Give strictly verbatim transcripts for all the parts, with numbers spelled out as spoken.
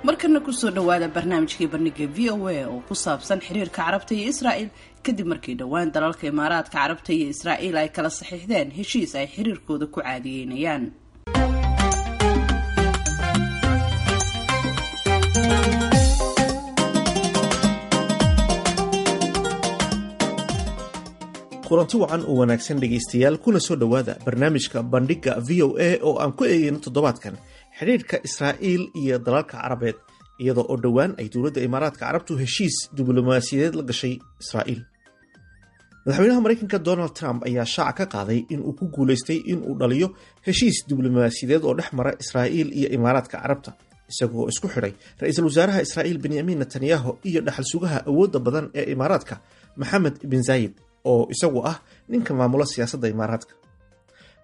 Markana kusoo dhawaada barnaamijkii Bandhiga V O A oo ku saabsan xiriirka Carabta iyo Israa'il, kadib markii dhowaan dalalka Imaaraadka Carabta iyo Israa'iil ay kala saxiixdeen heshiis ay xiriirkooda ku caadiyeynayaan. Kulanti wacan oo wanaagsan, dhegaystayaal, kuna soo dhowaada barnaamijka Bandhigga V O A oo aan ku eegeyno toddobaadkan xidhiirka Israa'iil iyo dalalka Carabeed, iyadoo oo dhowaan ay dowladda Imaaraadka Carabtu heshiis diblomaasiyadeed la gashay Israa'iil. Madaxweynaha Maraykanka Donald Trump ayaa shaaca ka qaaday in uu ku guulaystay in uu dhaliyo heshiis diblomaasiyadeed oo dhex mara Israa'iil iyo Imaaraadka Carabta, isagoo isku xidhay ra-iisul wasaaraha Israa'iil Benyamin Netanyahu iyo dhaxal sugaha awoodda badan ee Imaaraadka Maxamed bin Zayid, oo isagu ah ninka maamula siyaasadda Imaaraadka.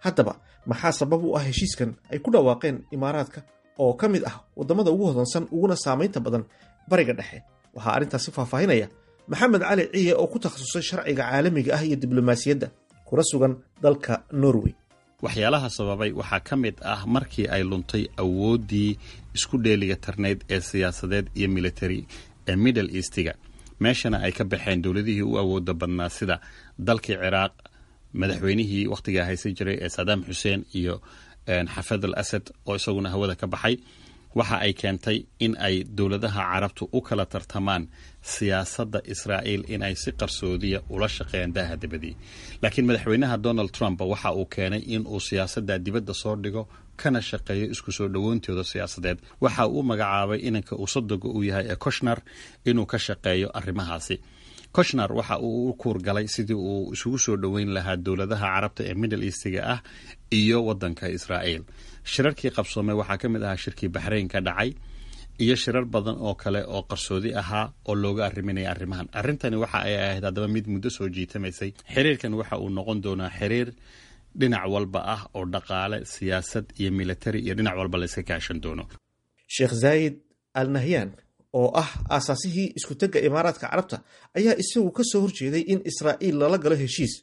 Haddaba, maxaa sabab u ah heshiiskan ay ku dhawaaqeen Imaaraadka, oo ka mid ah waddamada ugu hodansan uguna saamaynta badan Bariga Dhexe? Waxaa arrintaasi faahfaahinaya Maxamed Cali Ciye, oo ku takhasusay sharciga caalamiga ah iyo diblomaasiyadda, kuna sugan dalka Norway. Waxyaalaha sababay waxaa ka mid ah markii ay luntay awooddii isku dheeliga tarnayd ee siyaasadeed iyo military ee Middle Eastiga, meeshana ay ka baxeen dowladihii u awooda badnaa, sida dalkii Ciraaq, madaxweynihii wakhtigaa haysan jiray ee Saddam Xuseen iyo Xafid al Asad oo isaguna hawada ka baxay. Waxa ay keentay in ay dowladaha Carabtu u kala tartamaan siyaasadda Israa'iil, in ay si qarsoodiya ula shaqeeyaan daaha dibadii. Laakiin madaxweynaha Donald Trump waxa uu keenay in uu siyaasadda dibadda soo dhigo, kana shaqeeyo isku soo dhowoontooda siyaasadeed. Waxa uu magacaabay inanka uu sodoga uu yahay ee Kushner inuu ka shaqeeyo arrimahaasi. Kushner waxa uu u kuurgalay sidii uu isugu soo dhoweyn lahaa dowladaha Carabta ee Middle Eastiga ah iyo wadanka Israa'iil. Shirarkii qabsoomay waxaa ka mid ahaa shirkii Baxrayn ka dhacay iyo shirar badan oo kale oo qarsoodi ahaa oo looga arriminaya arrimahan. Arrintani waxa ay ahayd haddaba mid muddo soo jiitamaysay. Xiriirkan waxa uu noqon doonaa xiriir dhinac walba ah, oo dhaqaale, siyaasad iyo military iyo dhinac walba la iska kaashan doono. Sheekh Zaayid Al Nahyan, oo ah aasaasihii iskutegga Imaaraadka Carabta, ayaa isagu ka soo horjeeday in Israa'iil lala galo heshiis,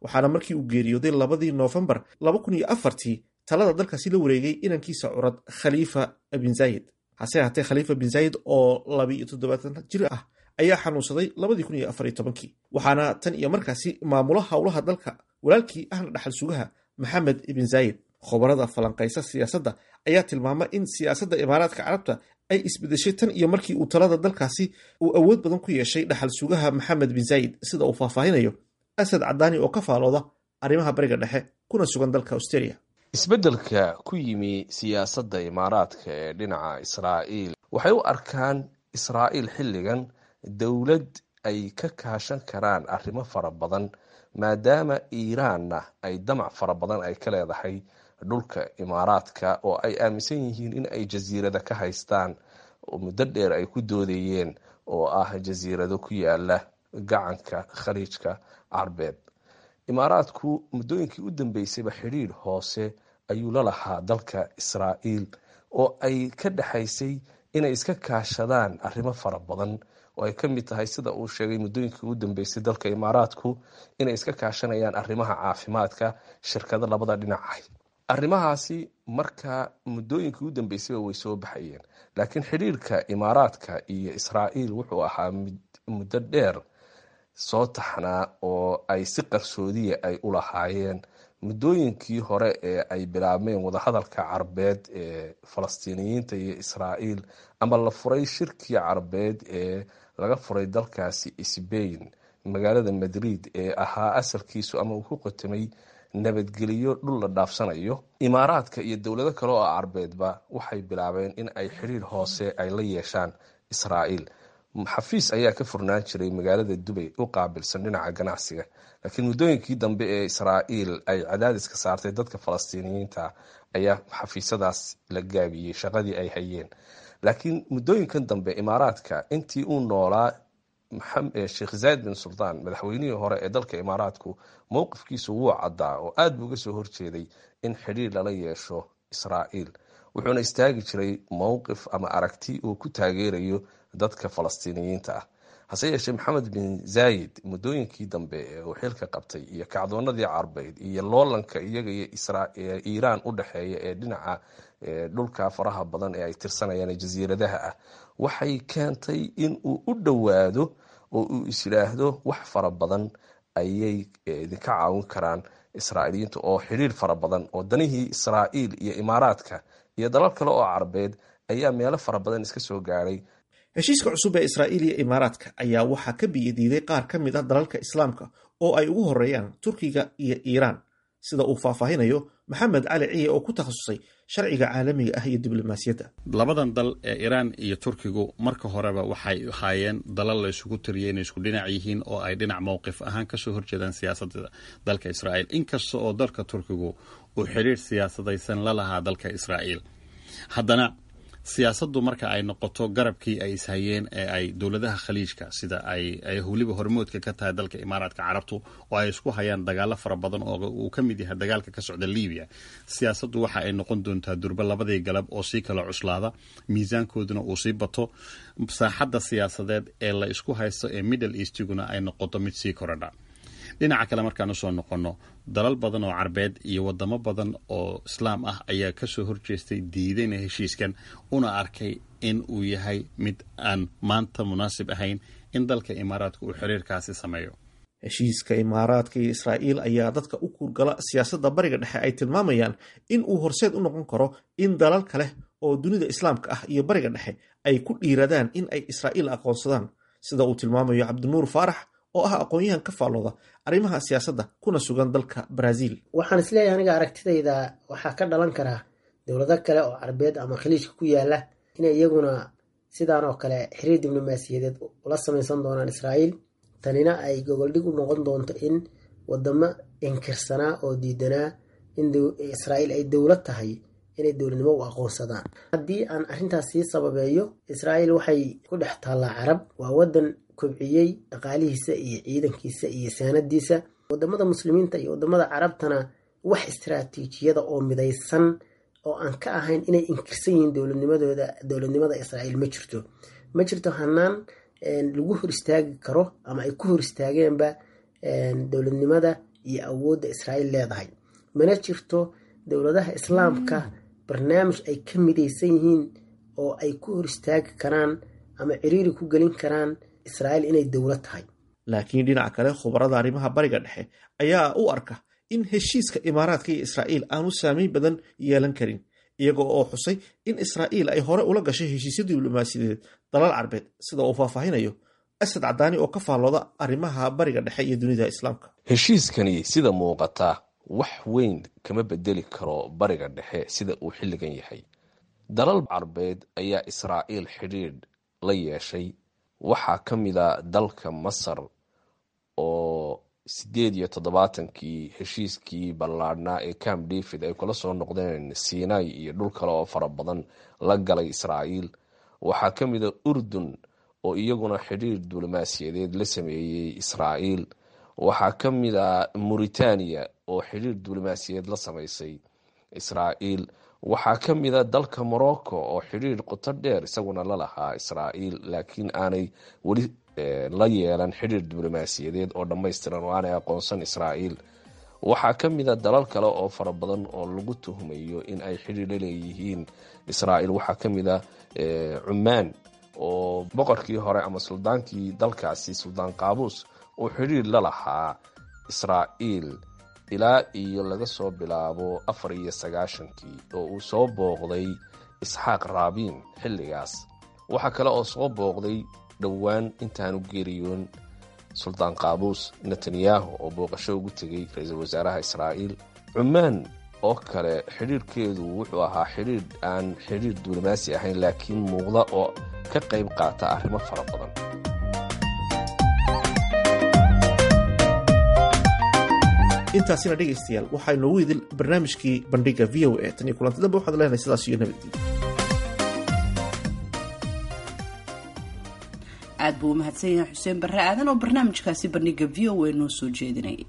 waxaana markii uu geeriyooday labadii Noofembar laba kun iyo afartii talada dalkaasi la wareegay inankiisa curad Khaliifa bin Zayid. Hase ahaatee, Khaliifa bin Zayid oo labiiyo toddobaatan jir ah ayaa xanuunsaday labadii kun iyo afar iyo tobankii, waxaana tan iyo markaasi maamula howlaha dalka walaalkii ahna dhaxal sugaha Maxamed ibn Zayid. Khubarada falanqaysa siyaasadda ayaa tilmaama in siyaasadda Imaaraadka Carabta ay isbedeshay tan iyo markii uu talada dalkaasi uu awood badan ku yeeshay dhaxal sugaha Maxamed bin Zayid, sida uu faahfaahinayo Asad Cadaani, oo ka faalooda arrimaha Bariga Dhexe kuna sugan dalka Australia. Isbeddelka ku yimi siyaasadda Imaaraadka ee dhinaca Israa'iil, waxay u arkaan Israa'iil xilligan dowlad ay ka kaashan karaan arrimo fara badan, maadaama Iiraanna ay damac fara badan ay ka leedahay dhulka Imaaraadka, oo ay aaminsan yihiin in ay jasiirada ka haystaan oo muddo dheer ay ku doodayeen, oo ah jasiirado ku yaala gacanka Khaliijka Carbeed. Imaaraadku muddooyinkii u dambeysayba xidhiidh hoose ayuu la lahaa dalka Israa'iil, oo ay ka dhexaysay inay iska kaashadaan arrimo fara badan, oo ay ka mid tahay, sida uu sheegay muddooyinkii u dambeysay dalka Imaaraadku, inay iska kaashanayaan arrimaha caafimaadka, shirkado labada dhinac ah. Arrimahaasi marka muddooyinkii u dambeysayba way soo baxayeen, laakiin xidhiirka Imaaraadka iyo Israa'iil wuxuu ahaa muddo dheer soo taxnaa oo ay si qarsoodiya ay u lahaayeen. Muddooyinkii hore ee ay bilaabmeen wadahadalka Carbeed ee Falastiiniyiinta iyo Israa'iil, ama la furay shirkii Carbeed ee laga furay dalkaasi Sbain, magaalada Madrid, ee ahaa asalkiisu ama uu ku qotamay nabadgeliyo dhul la dhaafsanayo, Imaaraadka iyo dowlado kale oo Carbeedba waxay bilaabeen in ay xiriir hoose ay la yeeshaan Israa'iil. Xafiis ayaa ka furnaan jiray magaalada Dubay u qaabilsan dhinaca ganacsiga, laakiin muddooyinkii dambe ee Israa'iil ay cadaadiska saartay dadka Falastiiniyiinta ayaa xafiisyadaas la gaabiyey shaqadii ay hayeen. Laakiin muddooyinkan dambe Imaaraadka, intii uu noolaa Sheekh Zayd bin Sultaan, madaxweynihii hore ee dalka Imaaraadku, mowqifkiisu wuu caddaa oo aad buu uga soo horjeeday in xidhiir lala yeesho Israa'iil, wuxuuna istaagi jiray mowqif ama aragti uu ku taageerayo dadka Falastiiniyiinta ah. Hase yeeshee, Maxamed bin Zayid muddooyinkii dambe ee uu xilka qabtay iyo kacdoonadii Carbeed iyo loolanka iyaga iyo Iiraan u dhexeeya ee dhinaca Dhulka faraha badan ee ay tirsanayaan jasiiradaha ah waxay keentay in uu u dhowaado oo uu isyidhaahdo wax fara badan ayay idinka caawin karaan Israa'iiliyiinta, oo xidhiir fara badan oo danihii Israa'iil iyo Imaaraadka iyo dalal kale oo Carabeed ayaa meelo fara badan iska soo gaadhay. Heshiiska cusub ee Israa'iil iyo Imaaraadka ayaa waxaa ka biyadiiday qaar ka mid ah dalalka Islaamka oo ay ugu horeeyaan Turkiga iyo Iiraan, sida uu faahfaahinayo Maxamed Cali Ciye oo ku takhasusay sharciga caalamiga ah iyo diblomaasiyadda. Labadan dal ee Iiraan iyo Turkigu marka horeba waxay ahaayeen dalal la isugu tiriyay inay isku dhinac yihiin oo ay dhinac mowqif ahaan kasoo horjeedaan siyaasadda dalka Israa'iil, inkasta oo dalka Turkigu uu xidhiir siyaasadaysan la lahaa dalka Israa'iil. Haddana siyaasaddu marka ay noqoto garabkii ay ishayeen ee ay dowladaha Khaliijka, sida ay ay weliba hormoodka ka tahay dalka Imaaraadka Carabtu, oo ay isku hayaan dagaalo fara badan oo uu ka mid yahay dagaalka ka socda Libiya, siyaasaddu waxa ay noqon doontaa durba labadii galab oo sii kala cuslaada, miisaankooduna uu sii bato, saaxadda siyaasadeed ee la isku haysto ee Middle Eastiguna ay noqoto mid sii korodha. Dhinaca kale markaan usoo noqonno, dalal badan oo Carbeed iyo wadamo badan oo Islaam ah ayaa kasoo horjeestay, diidayna heshiiskan, una arkay in uu yahay mid aan maanta munaasib ahayn in dalka Imaaraadka uu xiriirkaasi sameeyo. Heshiiska Imaaraadka iyo Israa'iil ayaa dadka u kuurgala siyaasadda Bariga Dhexe ay tilmaamayaan in uu horseed u noqon karo in dalal kale oo dunida Islaamka ah iyo Bariga Dhexe ay ku dhiiradaan in ay Israa'iil aqoonsadaan, sida uu tilmaamayo Cabdinuur Faarax oo ah aqoon-yahan ka faallooda arrimaha siyaasadda kuna sugan dalka Brazil. Waxaan isleeyahay aniga aragtidayda waxaa ka dhalan karaa dowlado kale oo Carabeed ama Khaliijka ku yaala inay iyaguna sidaan oo kale xiriir diblomaasiyadeed ula samaysan doonaan Israa'iil. Tanina ay gogoldhig u noqon doonto in wadamo inkirsanaa oo diidanaa in Israa'iil ay dowlad tahay inay dowladnimo u aqoonsadaan. Haddii aan arrintaas sii sababeeyo, Israa'iil waxay ku dhex taallaa Carab, waa wadan kobciyey dhaqaalihiisa iyo ciidankiisa iyo saanadiisa. Wadamada Muslimiinta iyo wadamada Carabtana wax istaraatiijiyada oo midaysan oo aan ka ahayn inay inkirsan yihiin dowladnimadooda, dowladnimada Israa'iil ma jirto. Ma jirto hanaan lagu hor istaagi karo ama ay ku hor istaageenba dowladnimada iyo awoodda Israa'iil leedahay. Mana jirto dowladaha Islaamka barnaamij ay ka midaysan yihiin oo ay ku hor istaagi karaan ama ciriiri ku gelin karaan Israa'iil inay dowlad tahay. Laakiin dhinaca kale, khubarada arrimaha Bariga Dhexe ayaa u arka in heshiiska Imaaraadka iyo Israa'iil aanu saameyn badan yeelan karin, iyaga oo xusay in Israa'iil ay hore ula gashay heshiisyo diblomaasiyadeed dalal Carbeed, sida uu faahfaahinayo Asad Cadaani oo ka faallooda arrimaha Bariga Dhexe iyo dunida Islaamka. Heshiiskani sida muuqata wax weyn kama bedeli karo Bariga Dhexe sida uu xilligan yahay. Dalal Carbeed ayaa Israa'iil xidhiidh la yeeshay. Waxaa ka mid a dalka Masar oo sideed iyo toddobaatankii heshiiskii ballaadhnaa ee Camp David ay kula soo noqdeen Sinai iyo dhul kale oo fara badan la galay Israa'iil. Waxaa ka mid a Urdun oo iyaguna xidhiir diblomaasiyadeed la sameeyey Israa'iil. Waxaa ka mid a Mauritania oo xidhiir diblomaasiyadeed la sameysay Israa'iil. Waxaa ka mid a dalka Morocco oo xidhiir qoto dheer isaguna la lahaa Israa'iil, laakiin aanay weli la yeelan xidhiir diblomaasiyadeed oo dhammaystiran oo aanay aqoonsan Israa'iil. Waxaa ka mid a dalal kale oo fara badan oo lagu tuhmayo in ay xidhiir la leeyihiin Israa'iil. Waxaa ka mid a Cumaan oo boqorkii hore ama suldaankii dalkaasi, Suldaan Qaabuus, oo xidhiir la lahaa Israa'iil ilaa iyo laga soo bilaabo afar iyo sagaashankii oo uu soo booqday Isxaaq Raabiin xilligaas. Waxaa kale oo soo booqday dhowaan intaanu geeriyoon Suldaan Qaabuus Netanyahu oo booqasho ugu tegay ra-iisul wasaaraha Israa'iil. Cumaan oo kale xidhiirkeedu wuxuu ahaa xidhiir aan xidhiir diblomaasi ahayn, laakiin muuqda oo ka qayb qaata arrimo fara badan. Intaasina dhegaystayaal waxaa inoogu idil barnaamijkii Bandhiga V O A. Tan iyo kulanti dambe waxaad leenahay sidaas iyo nabadgelyo. Aad buu u mahadsan yahay Xuseen Barre Aadan oo barnaamijkaasi Bandhiga V O A noo soo jeedinayay.